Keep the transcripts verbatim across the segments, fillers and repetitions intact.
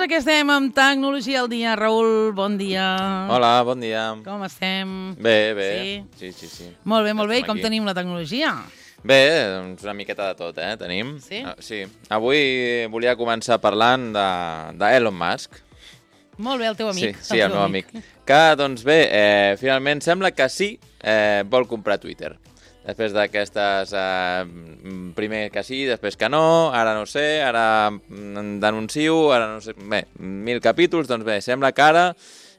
ara que estem amb Tecnologia al dia. Raül, bon dia. Hola, bon dia. Com estem? Bé, bé. Sí? Sí, sí, sí. Molt bé, molt bé. I com aquí. tenim la tecnologia? Bé, doncs una miqueta de tot, eh, tenim. Sí? Uh, sí. Avui volia començar parlant de, de Elon Musk. Molt bé, el teu amic. Sí, sí, el, el meu amic. amic. Que, doncs bé, eh, finalment sembla que sí eh, vol comprar Twitter. Després d'aquestes, eh, primer que sí, després que no, ara no sé, ara denuncio, ara no sé... Bé, mil capítols, doncs bé, sembla que ara,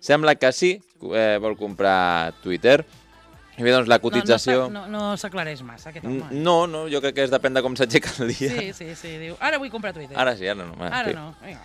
sembla que sí eh, vol comprar Twitter. I bé, doncs la cotització... No, no, no s'aclareix massa, aquest home. No, no, jo crec que és depèn de com s'aixeca el dia. Sí, sí, sí, diu, ara vull comprar Twitter. Ara sí, ara no. Ara sí. no, vinga.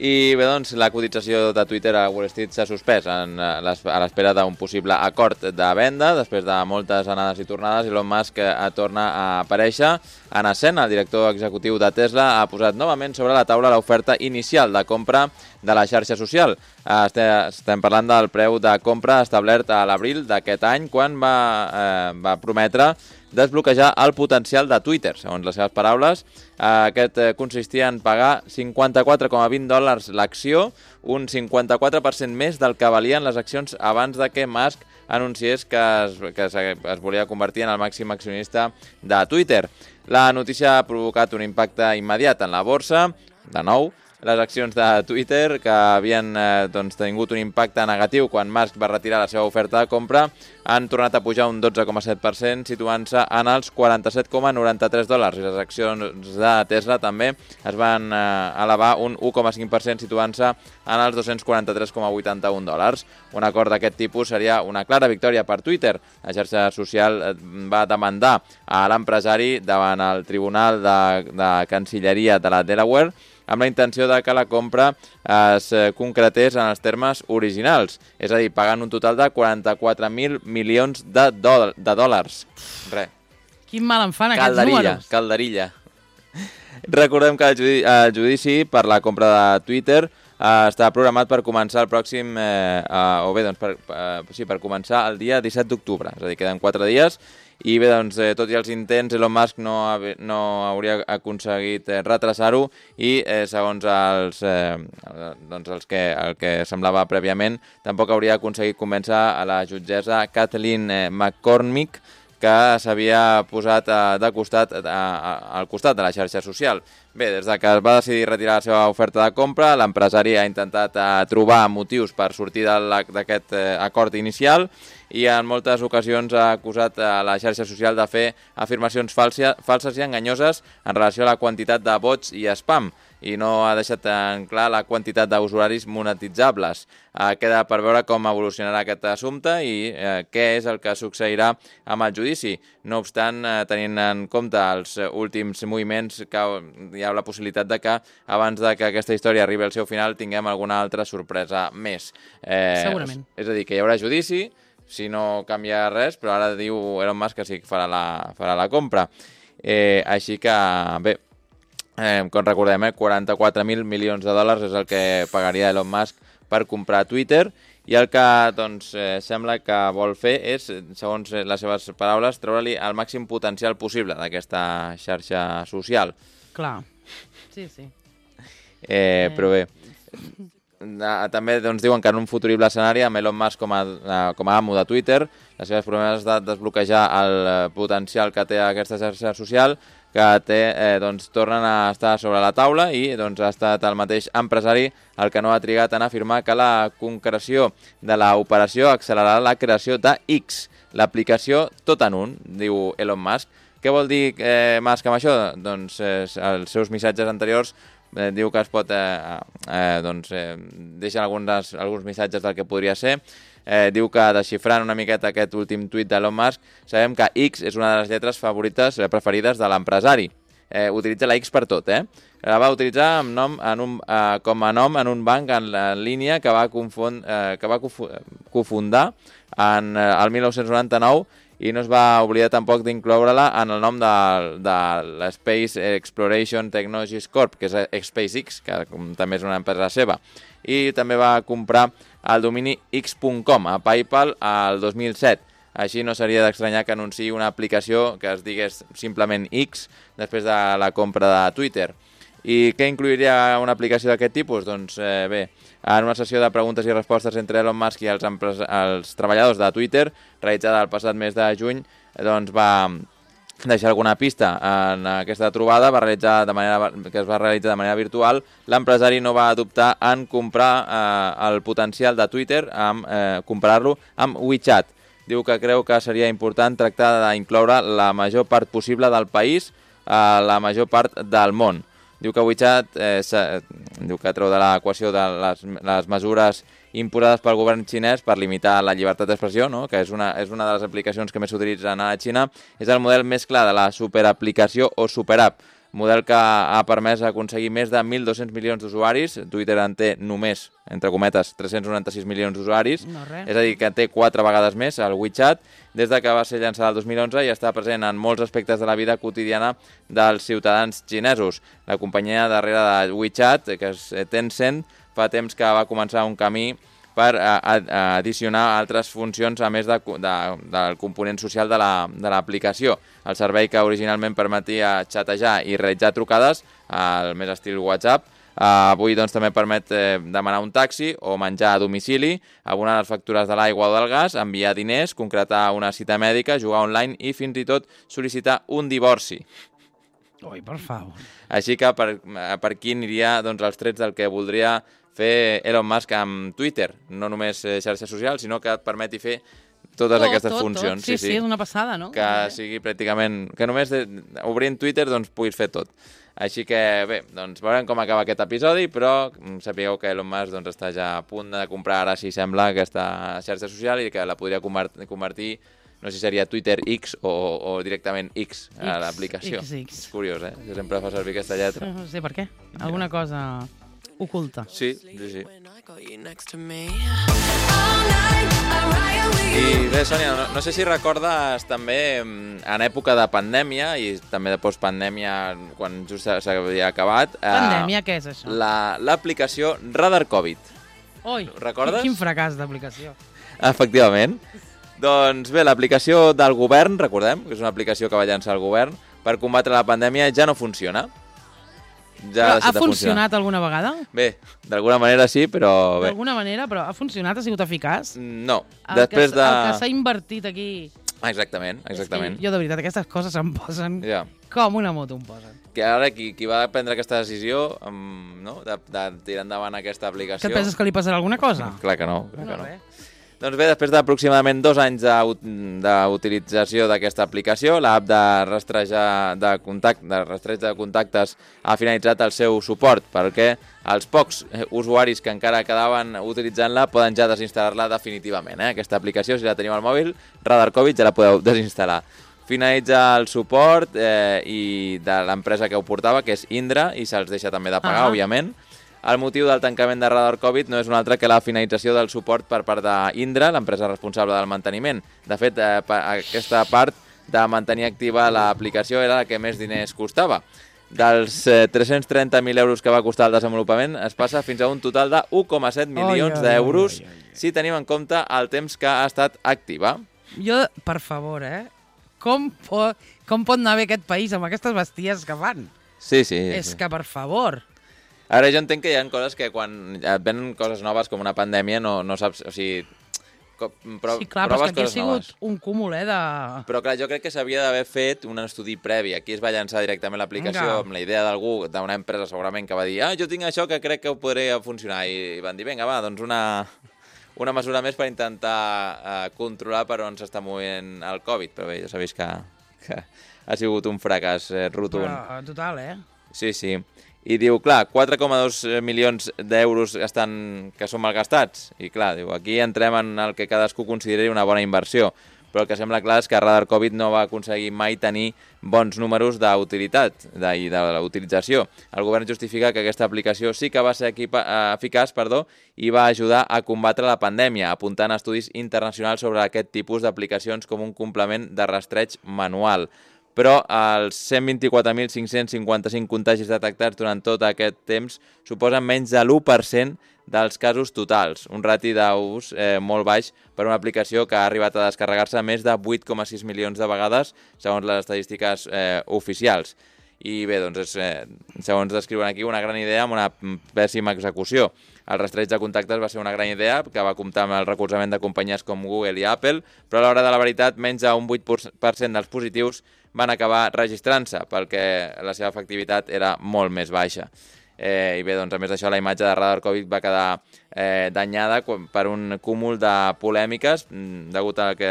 I bé, doncs, la cotització de Twitter a Wall Street s'ha suspès en, a l'espera d'un possible acord de venda. Després de moltes anades i tornades, Elon Musk torna a aparèixer en escena. El director executiu de Tesla ha posat novament sobre la taula l'oferta inicial de compra de la xarxa social. Estem parlant del preu de compra establert a l'abril d'aquest any, quan va, eh, va prometre desbloquejar el potencial de Twitter. Segons les seves paraules, aquest consistia en pagar cinquanta-quatre coma vint dòlars l'acció, un cinquanta-quatre per cent més del que valien les accions abans de que Musk anunciés que es, que es, es volia convertir en el màxim accionista de Twitter. La notícia ha provocat un impacte immediat en la borsa. De nou, les accions de Twitter, que havien eh, doncs, tingut un impacte negatiu quan Musk va retirar la seva oferta de compra, han tornat a pujar un dotze coma set per cent, situant-se en els quaranta-set coma noranta-tres dòlars. I les accions de Tesla també es van eh, elevar un u coma cinc per cent, situant-se en els dos-cents quaranta-tres coma vuitanta-un dòlars. Un acord d'aquest tipus seria una clara victòria per Twitter. La xarxa social va demandar a l'empresari davant el Tribunal de, de Cancilleria de la Delaware amb la intenció de que la compra es concretés en els termes originals, és a dir, pagant un total de quaranta-quatre mil milions de, dòl de dòlars. Re. Quin mal em fan aquests calderilla, números. Calderilla. Recordem que el judici, el judici per la compra de Twitter eh, està programat per començar el pròxim, eh, eh, o bé, doncs, per, eh, sí, per començar el dia disset d'octubre, és a dir, queden quatre dies. I bé, doncs, eh, tot i els intents, Elon Musk no, no hauria aconseguit eh, retrasar-ho i, eh, segons els, eh, doncs els que, el que semblava prèviament, tampoc hauria aconseguit convèncer a la jutgessa Kathleen eh, McCormick, que s'havia posat eh, de costat, eh, al costat de la xarxa social. Bé, des de que es va decidir retirar la seva oferta de compra, l'empresari ha intentat eh, trobar motius per sortir d'aquest eh, acord inicial, i en moltes ocasions ha acusat a la xarxa social de fer afirmacions falses i enganyoses en relació a la quantitat de vots i spam, i no ha deixat en clar la quantitat d'usuaris monetitzables. Eh, queda per veure com evolucionarà aquest assumpte i eh, què és el que succeirà amb el judici. No obstant, eh, tenint en compte els últims moviments, que hi ha la possibilitat de que abans de que aquesta història arribi al seu final tinguem alguna altra sorpresa més. Eh, Segurament. És a dir, que hi haurà judici, si no canvia res, però ara diu Elon Musk que sí que farà la, farà la compra. Eh, així que, bé, eh, com recordem, eh, quaranta-quatre mil milions de dòlars és el que pagaria Elon Musk per comprar Twitter, i el que doncs, eh, sembla que vol fer és, segons les seves paraules, treure-li el màxim potencial possible d'aquesta xarxa social. Clar, sí, sí. Eh, però bé... També doncs, diuen que en un futurible escenari, amb Elon Musk com a, com a amo de Twitter, les seves promeses de desbloquejar el potencial que té aquesta xarxa social, que té, eh, doncs, tornen a estar sobre la taula, i doncs, ha estat el mateix empresari el que no ha trigat en afirmar que la concreció de l'operació accelerarà la creació de X, l'aplicació tot en un, diu Elon Musk. Què vol dir eh, Musk amb això? Doncs eh, els seus missatges anteriors Eh, diu que es pot, eh, eh, doncs, eh, deixa alguns, alguns missatges del que podria ser. Eh, diu que, desxifrant una miqueta aquest últim tuit d'Elon Musk, sabem que X és una de les lletres favorites, eh, preferides de l'empresari. Eh, utilitza la X per tot, eh? La va utilitzar amb nom en un, eh, com a nom en un banc en, en línia que va, confon, eh, que va cofundar en eh, el mil nou-cents noranta-nou, i no es va oblidar tampoc d'incloure-la en el nom de, de l'Space Exploration Technologies Corp, que és SpaceX, que també és una empresa seva. I també va comprar el domini x punt com a PayPal el dos mil set. Així no seria d'estranyar que anunciï una aplicació que es digués simplement X després de la compra de Twitter. I què incluiria una aplicació d'aquest tipus? Doncs eh, bé, en una sessió de preguntes i respostes entre Elon Musk i els, els treballadors de Twitter, realitzada el passat mes de juny, doncs va deixar alguna pista en aquesta trobada va realitzar de manera, que es va realitzar de manera virtual. L'empresari no va adoptar en comprar eh, el potencial de Twitter, amb eh, comparar-lo amb WeChat. Diu que creu que seria important tractar d'incloure la major part possible del país a la major part del món. Diu que WeChat eh, diu que treu de l'equació de les, les mesures imposades pel govern xinès per limitar la llibertat d'expressió, no? Que és una, és una de les aplicacions que més s'utilitzen a la Xina. És el model més clar de la superaplicació o superapp, model que ha permès aconseguir més de mil dos-cents milions d'usuaris. Twitter en té només, entre cometes, tres-cents noranta-sis milions d'usuaris, no, és a dir, que té quatre vegades més el WeChat, des de que va ser llançada el dos mil onze i està present en molts aspectes de la vida quotidiana dels ciutadans xinesos. La companyia darrere de WeChat, que és Tencent, fa temps que va començar un camí per addicionar altres funcions a més de, de, del component social de l'aplicació. El servei que originalment permetia xatejar i realitzar trucades, al més estil WhatsApp, eh, avui doncs, també permet eh, demanar un taxi o menjar a domicili, abonar les factures de l'aigua o del gas, enviar diners, concretar una cita mèdica, jugar online i fins i tot sol·licitar un divorci. Ui, per favor. Així que per, per aquí aniria doncs, els trets del que voldria fer Elon Musk amb Twitter, no només xarxa social, sinó que et permeti fer totes tot, aquestes tot, funcions. Tot. Sí, sí, sí, és una passada, no? Que sigui pràcticament... Que només de, obrint Twitter doncs, puguis fer tot. Així que, bé, doncs veurem com acaba aquest episodi, però sapigueu que Elon Musk doncs, està ja a punt de comprar, ara si sembla, aquesta xarxa social i que la podria convertir, no sé si seria Twitter X o, o directament X, a l'aplicació. És curiós, eh? Que sempre fa servir aquesta lletra. No sé per què. Alguna cosa oculta. Sí, sí, sí. I bé, Sònia, no, no sé si recordes també en època de pandèmia i també de postpandèmia, quan just s'havia acabat... Pandèmia, eh, què és això? L'aplicació Radar Covid. Oi, recordes? Quin fracàs d'aplicació. Efectivament. Doncs bé, l'aplicació del govern, recordem, que és una aplicació que va llançar el govern, per combatre la pandèmia ja no funciona. Ja ha funcionat alguna vegada? Bé, d'alguna manera sí, però bé. D'alguna manera, però ha funcionat? Ha sigut eficaç? No. El Després que, de... El que s'ha invertit aquí... Exactament, exactament. Jo, de veritat, aquestes coses em posen ja. com una moto em posen. Que ara qui, qui va prendre aquesta decisió um, no? de, de tirar endavant aquesta aplicació... Que et penses que li passarà alguna cosa? Clar que no, clar que no. Bé. Doncs bé, després d'aproximadament dos anys d'utilització d'aquesta aplicació, l'app de rastrejar de, contact, de rastreig de contactes ha finalitzat el seu suport, perquè els pocs usuaris que encara quedaven utilitzant-la poden ja desinstal·lar-la definitivament. Eh? Aquesta aplicació, si la teniu al mòbil, Radar Covid, ja la podeu desinstal·lar. Finalitza el suport eh, i de l'empresa que ho portava, que és Indra, i se'ls deixa també de pagar, ah. òbviament. El motiu del tancament de Radar Covid no és un altre que la finalització del suport per part d'Indra, l'empresa responsable del manteniment. De fet, eh, aquesta part de mantenir activa l'aplicació era la que més diners costava. Dels eh, tres-cents trenta mil euros que va costar el desenvolupament es passa fins a un total de u coma set milions d'euros si tenim en compte el temps que ha estat activa. Jo, per favor, eh? Com pot, com pot anar bé aquest país amb aquestes besties que fan? Sí, sí. És sí. que, per favor... Ara jo entenc que hi ha coses que quan et venen coses noves com una pandèmia no, no saps... O sigui, pro, sí, clar, però és que aquí ha sigut noves. Un cúmul, eh, de... Però clar, jo crec que s'havia d'haver fet un estudi previ. Aquí es va llançar directament l'aplicació amb la idea d'algú, d'una empresa segurament, que va dir ah, jo tinc això que crec que ho podria funcionar. I van dir, vinga, va, doncs una, una mesura més per intentar uh, controlar per on s'està movent el Covid. Però bé, ja sabeu que, que ha sigut un fracàs eh, rotund. Però, total, eh? Sí, sí. I diu, clar, quatre coma dos milions d'euros estan, que són malgastats. I clar, diu, aquí entrem en el que cadascú consideri una bona inversió. Però el que sembla clar és que Radar Covid no va aconseguir mai tenir bons números d'utilitat de, i de l'utilització. El govern justifica que aquesta aplicació sí que va ser equipa, eficaç perdó, i va ajudar a combatre la pandèmia, apuntant estudis internacionals sobre aquest tipus d'aplicacions com un complement de rastreig manual. Però els cent vint-i-quatre mil cinc-cents cinquanta-cinc contagis detectats durant tot aquest temps suposen menys de l'u per cent dels casos totals, un rati d'ús eh, molt baix per una aplicació que ha arribat a descarregar-se més de vuit coma sis milions de vegades, segons les estadístiques eh, oficials. i bé, doncs és, eh, segons descriuen aquí, una gran idea amb una pèssima execució. El rastreig de contactes va ser una gran idea que va comptar amb el recolzament de companyies com Google i Apple, però a l'hora de la veritat menys d'un vuit per cent dels positius van acabar registrant-se, perquè la seva efectivitat era molt més baixa. Eh, I bé, doncs, a més d'això, la imatge de Radar Covid va quedar eh, danyada per un cúmul de polèmiques, degut a que,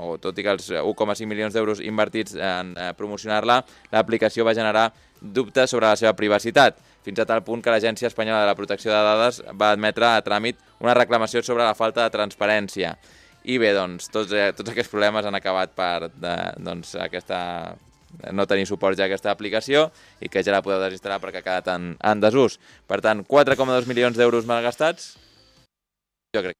o tot i que els un coma cinc milions d'euros invertits en eh, promocionar-la, l'aplicació va generar dubtes sobre la seva privacitat, fins a tal punt que l'Agència Espanyola de la Protecció de Dades va admetre a tràmit una reclamació sobre la falta de transparència. I bé, doncs, tots, eh, tots aquests problemes han acabat per de, doncs, aquesta... no tenir suport ja a aquesta aplicació i que ja la podeu desinstal·lar perquè ha quedat en, en desús. Per tant, quatre coma dos milions d'euros malgastats, jo crec.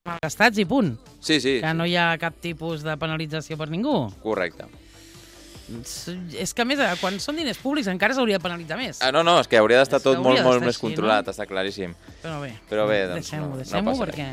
Malgastats i punt. Sí, sí. Que no hi ha cap tipus de penalització per ningú. Correcte. És que, a més, quan són diners públics encara s'hauria de penalitzar més. Ah, no, no, és que hauria d'estar tot molt, molt més així, controlat, no? està claríssim. Però bé, Però bé doncs, deixem-ho, no, deixem-ho, no perquè...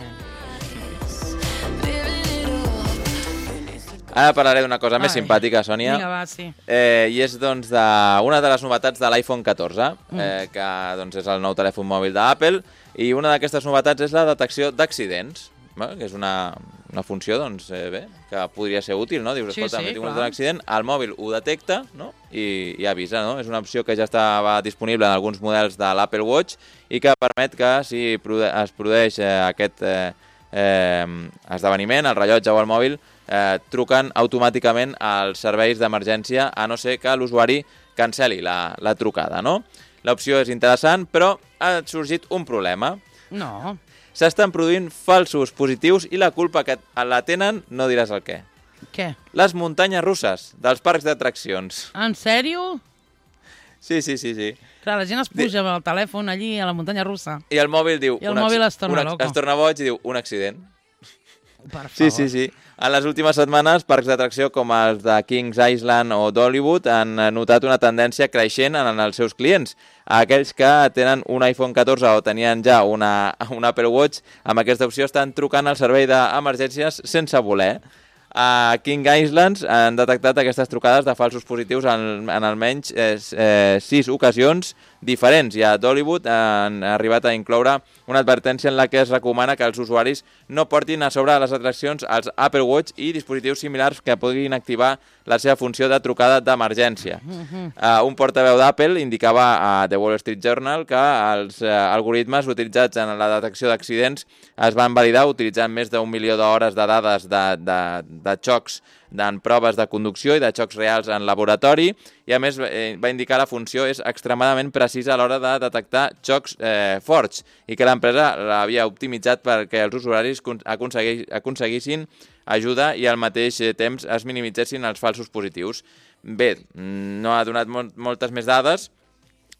Ara parlaré d'una cosa Ai. més simpàtica, Sònia. Vinga, va, sí. Eh, I és doncs, de, una de les novetats de l'iPhone catorze, Mm. eh, que doncs, és el nou telèfon mòbil d'Apple, i una d'aquestes novetats és la detecció d'accidents, eh, que és una, una funció doncs, eh, bé, que podria ser útil, no? Dius, Sí, escolta, sí, m'he tingut clar. un accident, el mòbil ho detecta, no? I, i avisa, no? És una opció que ja estava disponible en alguns models de l'Apple Watch i que permet que si produ- es produeix eh, aquest eh, eh, esdeveniment, el rellotge o el mòbil, eh, truquen automàticament als serveis d'emergència, a no ser que l'usuari cancel·li la, la trucada, no? L'opció és interessant, però ha sorgit un problema. No. S'estan produint falsos positius i la culpa que la tenen no diràs el què. Què? Les muntanyes russes dels parcs d'atraccions. En sèrio? Sí, sí, sí, sí. Clar, la gent es puja amb el telèfon allí a la muntanya russa. I el mòbil diu... I el un mòbil acc- es torna un acc- loco. Es torna boig i diu un accident. Per favor. Sí, sí, sí. En les últimes setmanes, parcs d'atracció com els de Kings Island o d'Hollywood han notat una tendència creixent en els seus clients. Aquells que tenen un iPhone catorze o tenien ja una, un Apple Watch, amb aquesta opció estan trucant al servei d'emergències sense voler. A King Islands han detectat aquestes trucades de falsos positius en, en almenys eh, eh, sis ocasions diferents, i a d'Hollywood han arribat a incloure una advertència en la que es recomana que els usuaris no portin a sobre les atraccions els Apple Watch i dispositius similars que puguin activar la seva funció de trucada d'emergència. Uh, un portaveu d'Apple indicava a The Wall Street Journal que els uh, algoritmes utilitzats en la detecció d'accidents es van validar utilitzant més d'un milió d'hores de dades de, de, de xocs en proves de conducció i de xocs reals en laboratori, i a més eh, va indicar que la funció és extremadament precisa a l'hora de detectar xocs eh, forts i que l'empresa l'havia optimitzat perquè els usuaris aconseguis, aconseguissin ajuda i al mateix temps es minimitzessin els falsos positius. Bé, no ha donat molt, moltes més dades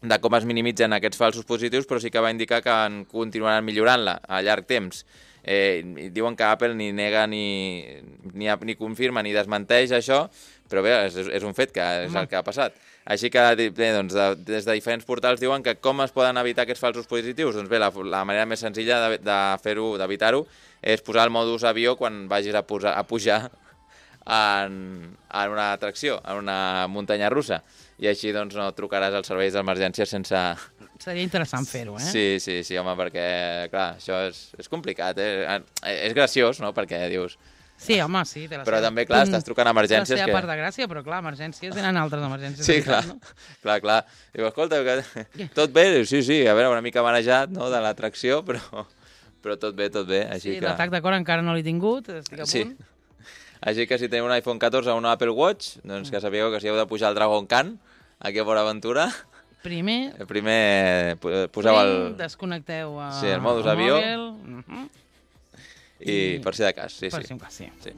de com es minimitzen aquests falsos positius, però sí que va indicar que en continuaran millorant-la a llarg temps. Eh, diuen que Apple ni nega ni, ni, ni confirma ni desmenteix això, però bé, és, és un fet que és el que ha passat. Així que bé, doncs, de, des de diferents portals diuen que com es poden evitar aquests falsos positius? Doncs bé, la, la manera més senzilla de, de fer-ho, d'evitar-ho, és posar el modus avió quan vagis a, posar, a pujar en, en una atracció, en una muntanya russa. I així doncs no trucaràs als serveis d'emergència sense... Seria interessant fer-ho, eh? Sí, sí, sí, home, perquè, clar, això és, és complicat, eh? És graciós, no?, perquè dius... Sí, home, sí. Té la però seva... també, clar, estàs trucant a emergències la seva que... part de gràcia, però clar, emergències tenen altres emergències. Sí, de clar, veritat, no? clar, clar. Diu, escolta, que... tot bé? Diu, sí, sí, a veure, una mica manejat, no?, de l'atracció, però... però tot bé, tot bé, així sí, que... l'atac de cor encara no l'he tingut, estic a sí. punt. Així que si teniu un iPhone catorze o un Apple Watch, doncs que sapigueu que si heu de pujar al Dragon Khan, aquí a Port Aventura, Primer, primer poseu el... desconnecteu a... Sí, el modus el avió. mòbil, uh-huh. I per si de cas, sí, per sí. si un cas, sí. sí.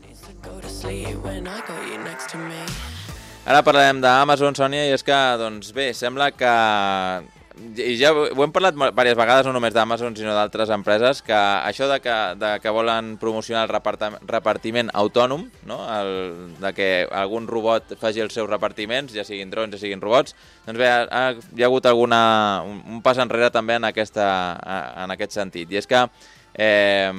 Ara parlarem d'Amazon, Sònia, i és que, doncs bé, sembla que... I ja ho hem parlat diverses vegades, no només d'Amazon, sinó d'altres empreses, que això de que, de que volen promocionar el repartiment autònom, no? el, de que algun robot faci els seus repartiments, ja siguin drons, ja siguin robots, doncs bé, ha, hi ha hagut alguna, un, un pas enrere també en, aquesta, en aquest sentit. I és que... Eh,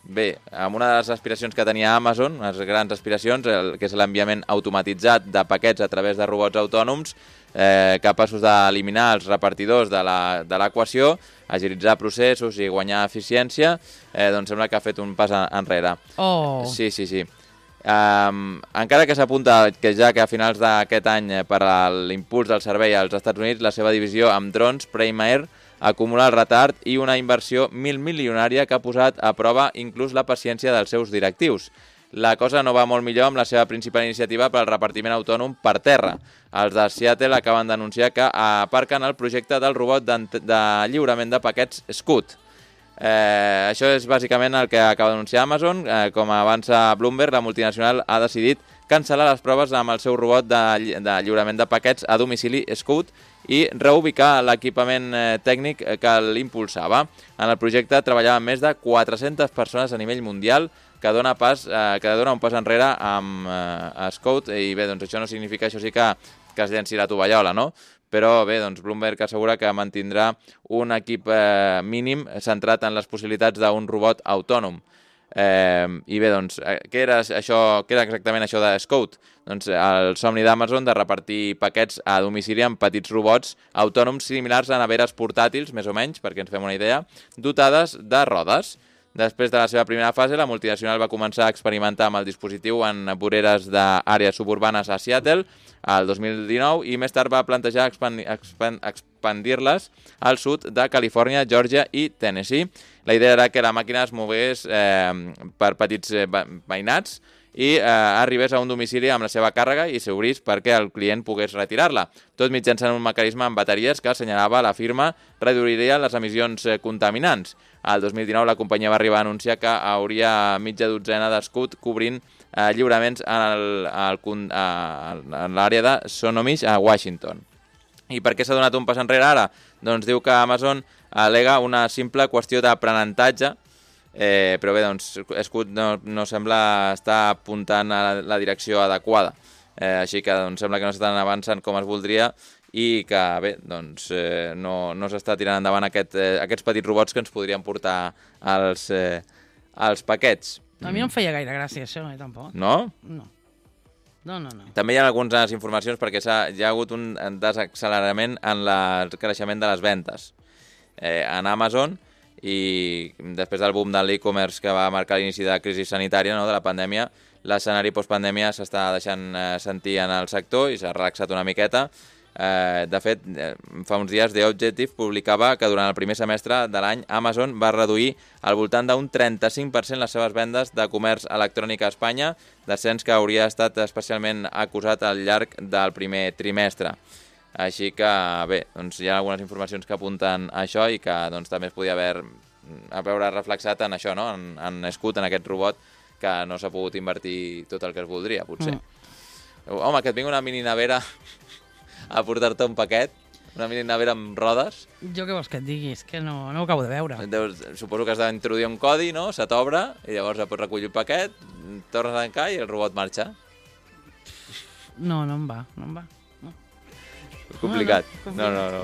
bé, amb una de les aspiracions que tenia Amazon, unes grans aspiracions, el, que és l'enviament automatitzat de paquets a través de robots autònoms, eh, capaços d'eliminar els repartidors de l'equació, agilitzar processos i guanyar eficiència, eh, doncs sembla que ha fet un pas enrere. Oh. Sí, sí, sí. Um, encara que s'apunta que ja que a finals d'aquest any eh, per a l'impuls del servei als Estats Units, la seva divisió amb drons, Prime Air, acumula el retard i una inversió mil milionària que ha posat a prova inclús la paciència dels seus directius. La cosa no va molt millor amb la seva principal iniciativa per al repartiment autònom per terra. Els de Seattle acaben d'anunciar que aparquen el projecte del robot de, de lliurament de paquets Scoot. Eh, això és bàsicament el que acaba d'anunciar Amazon. Eh, com avança Bloomberg, la multinacional ha decidit cancel·lar les proves amb el seu robot de, de lliurament de paquets a domicili Scoot i reubicar l'equipament eh, tècnic que l'impulsava. En el projecte treballaven més de quatre-centes persones a nivell mundial, que dona, pas, eh, que dona un pas enrere amb eh, Scout, i bé, doncs això no significa, això sí que, que es llenci la tovallola, no? Però bé, doncs Bloomberg assegura que mantindrà un equip eh, mínim centrat en les possibilitats d'un robot autònom. Eh, I bé, doncs, què era, això, què era exactament això de Scout? Doncs el somni d'Amazon de repartir paquets a domicili amb petits robots autònoms similars a neveres portàtils, més o menys, perquè ens fem una idea, dotades de rodes. Després de la seva primera fase, la multinacional va començar a experimentar amb el dispositiu en voreres d'àrees suburbanes a Seattle el dos mil dinou i més tard va plantejar expandi, expand, expandir-les al sud de Califòrnia, Georgia i Tennessee. La idea era que la màquina es mogués eh, per petits eh, veïnats i eh, arribés a un domicili amb la seva càrrega i s'obrís perquè el client pogués retirar-la. Tot mitjançant un mecanisme amb bateries que assenyalava la firma reduiria les emissions eh, contaminants. Al dos mil dinou la companyia va arribar a anunciar que hauria mitja dotzena d'Scoot cobrint eh, lliuraments en l'àrea de Sonomish a Washington. I per què s'ha donat un pas enrere ara? Doncs diu que Amazon al·lega una simple qüestió d'aprenentatge, eh, però bé, doncs Scoot no, no sembla estar apuntant a la, la direcció adequada. Eh, així que doncs, sembla que no s'estan avançant com es voldria i que bé, doncs, eh, no, no s'està tirant endavant aquest, eh, aquests petits robots que ens podrien portar als, eh, als paquets. A mi no em feia gaire gràcia, això, eh, tampoc. No? No. No, no, no. També hi ha algunes informacions perquè hi ha hagut un desaccelerament en el creixement de les ventes eh, en Amazon i després del boom de l'e-commerce que va marcar l'inici de la crisi sanitària, no, de la pandèmia, l'escenari postpandèmia s'està deixant eh, sentir en el sector i s'ha relaxat una miqueta. Eh, de fet, eh, fa uns dies The Objective publicava que durant el primer semestre de l'any Amazon va reduir al voltant d'un trenta-cinc per cent les seves vendes de comerç electrònic a Espanya, descens que hauria estat especialment acusat al llarg del primer trimestre. Així que, bé, doncs hi ha algunes informacions que apunten a això i que doncs, també es podia haver a veure reflexat en això, no? en, en Scoot, en aquest robot, que no s'ha pogut invertir tot el que es voldria, potser. Mm. Home, que et vingui una mini nevera a portar-te un paquet, una mini nevera amb rodes. Jo què vols que et digui? És que no, no ho acabo de veure. Deus, suposo que has d'introduir un codi, no? Se t'obre i llavors pots recollir el paquet, tornes a tancar i el robot marxa. No, no em va, no em va. No. És complicat. No, no, no.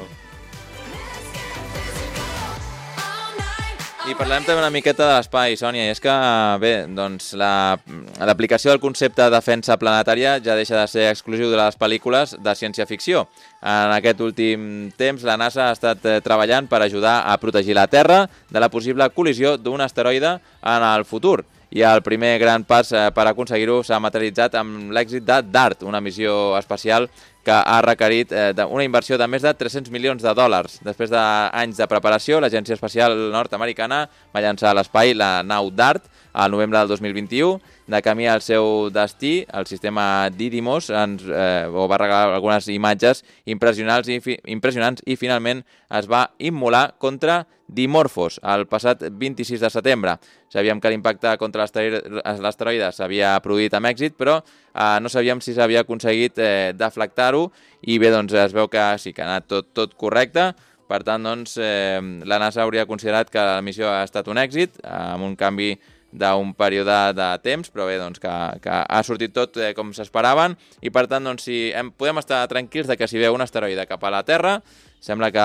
I parlem també una miqueta de l'espai, Sònia, i és que, bé, doncs l'aplicació la, del concepte de defensa planetària ja deixa de ser exclusiu de les pel·lícules de ciència-ficció. En aquest últim temps, la NASA ha estat eh, treballant per ajudar a protegir la Terra de la possible col·lisió d'un asteroide en el futur. I el primer gran pas eh, per aconseguir-ho s'ha materialitzat amb l'èxit de DART, una missió espacial que ha requerit eh, una inversió de més de tres-cents milions de dòlars. Després d'anys de preparació, l'Agència Espacial Nord-Americana va llançar a l'espai la nau DART al novembre del dos mil vint-i-u. De camí al seu destí, el sistema Didymos ens eh, va regalar algunes imatges impressionants i, fi, impressionants i finalment es va immolar contra Dimorphos el passat vint-i-sis de setembre. Sabíem que l'impacte contra l'asteroide s'havia produït amb èxit, però eh, no sabíem si s'havia aconseguit eh, deflectar-ho i bé, doncs es veu que sí que ha anat tot, tot correcte. Per tant, doncs, eh, la NASA hauria considerat que la missió ha estat un èxit, eh, amb un canvi d'un període de temps, però bé, doncs, que, que ha sortit tot eh, com s'esperaven i per tant, doncs, si hem, podem estar tranquils de que si ve un asteroide cap a la Terra, sembla que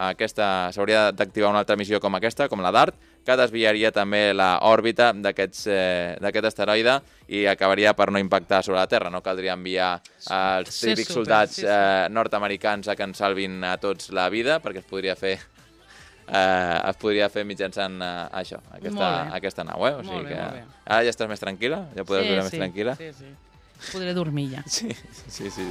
aquesta s'hauria d'activar una altra missió com aquesta, com la DART, que desviaria també l'òrbita d'aquest eh, asteroide i acabaria per no impactar sobre la Terra. No caldria enviar els Sí, típics super, soldats sí, sí. eh, nord-americans a que ens salvin a tots la vida, perquè es podria fer eh, es podria fer mitjançant eh, això, aquesta, Molt bé. aquesta nau. Eh? O Molt sigui bé, que molt bé. ara ja estàs més tranquil·la? Ja podràs viure més tranquil·la? Sí, sí. Podré dormir ja. Sí, sí, sí.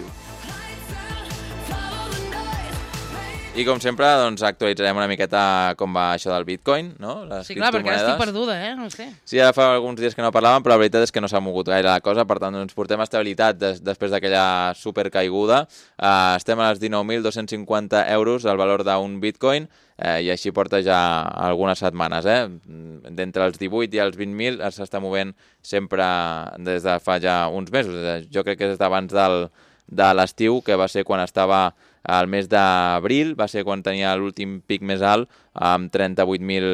I com sempre, doncs, actualitzarem una miqueta com va això del Bitcoin, no? Les Sí, clar, perquè ara criptomonedes. estic perduda, eh? No sé. Sí, ara fa alguns dies que no parlàvem, però la veritat és que no s'ha mogut gaire la cosa, per tant, doncs, portem estabilitat des, després d'aquella supercaiguda. Uh, estem a les dinou mil dos-cents cinquanta euros el valor d'un Bitcoin, eh, i així porta ja algunes setmanes, eh? D'entre els divuit i els vint mil s'està movent sempre des de fa ja uns mesos. Jo crec que és d'abans del, de l'estiu, que va ser quan estava al mes d'abril, va ser quan tenia l'últim pic més alt, amb trenta-vuit mil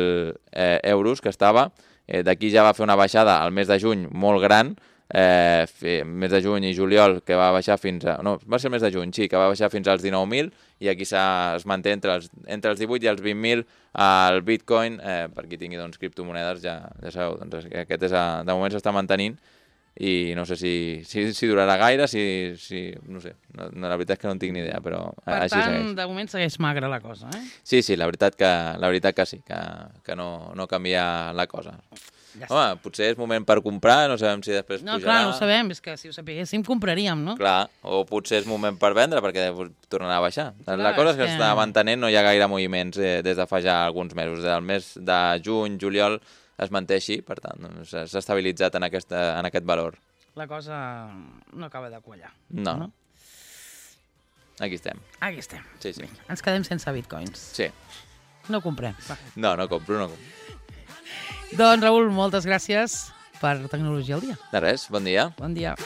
eh, euros que estava. Eh, D'aquí ja va fer una baixada al mes de juny molt gran, eh, mes de juny i juliol, que va baixar fins a... No, va ser el mes de juny, sí, que va baixar fins als dinou mil, i aquí es manté entre els, entre els divuit i els vint mil el Bitcoin. Eh, per qui tingui doncs, criptomonedes, ja, ja sabeu, doncs, aquest és a, de moment s'està mantenint, i no sé si, si, si durarà gaire, si, si no sé, no, no, la veritat és que no en tinc ni idea, però Per així tant, segueix. de moment segueix magra la cosa, eh? Sí, sí, la veritat que, la veritat que sí, que, que no, no canvia la cosa. Ja Home, potser és moment per comprar, no sabem si després No, pujarà. clar, no ho sabem, és que si ho sapiguéssim compraríem, no? Clar, o potser és moment per vendre perquè tornarà a baixar. Clar, la cosa és que és que- s'està mantenint, no hi ha gaire moviments eh, des de fa ja alguns mesos. Del mes de juny, juliol, es manté així, per tant, doncs, s'ha estabilitzat en, aquesta, en aquest valor. La cosa no acaba de quallar. No, No? no. Aquí estem. Aquí estem. Sí, sí. Ens quedem sense bitcoins. Sí. No comprem. Va. No, no compro, no compro. Doncs, Raül, moltes gràcies per Tecnologia al Dia. De res, bon dia. Bon dia.